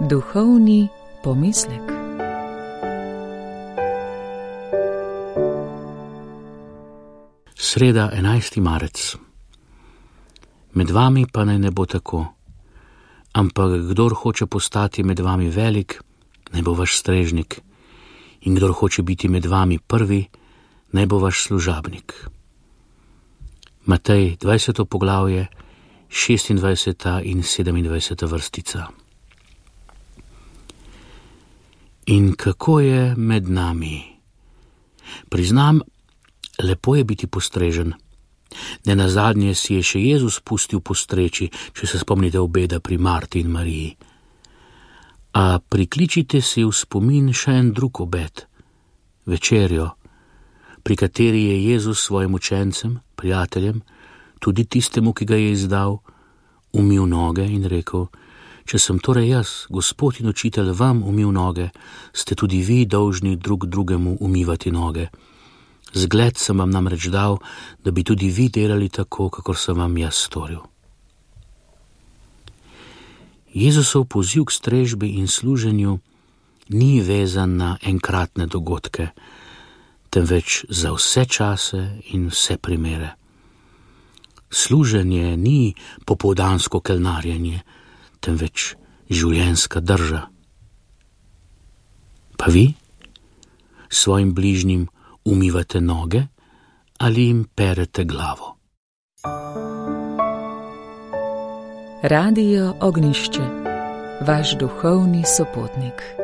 Duhovni pomislek. Sreda, 11. marec. Med vami pa naj ne bo tako, ampak kdor hoče postati med vami velik, naj bo vaš strežnik, in kdor hoče biti med vami prvi, naj bo vaš služabnik. Matej, 20. poglavje, 26. in 27. vrstica. In kako je med nami? Priznam, lepo je biti postrežen. Nenazadnje si je še Jezus pustil postreči, če se spomnite obeda pri Marti in Mariji. A prikličite si v spomin še en drug obed, večerjo, pri kateri je Jezus svojim učencem, prijateljem, tudi tistemu, ki ga je izdal, umil noge in rekel: če sem torej jaz, Gospod in učitelj, vam umil noge, ste tudi vi dolžni drug drugemu umivati noge. Zgled sem vam namreč dal, da bi tudi vi delali tako, kakor sem vam jaz storil. Jezusov poziv k strežbi in služenju ni vezan na enkratne dogodke, temveč za vse čase in vse primere. Služenje ni popoldansko kelnarjenje, temveč življenjska drža. Pa vi svojim bližnjim umivate noge ali jim perete glavo? Radio Ognjišče, vaš duhovni sopotnik.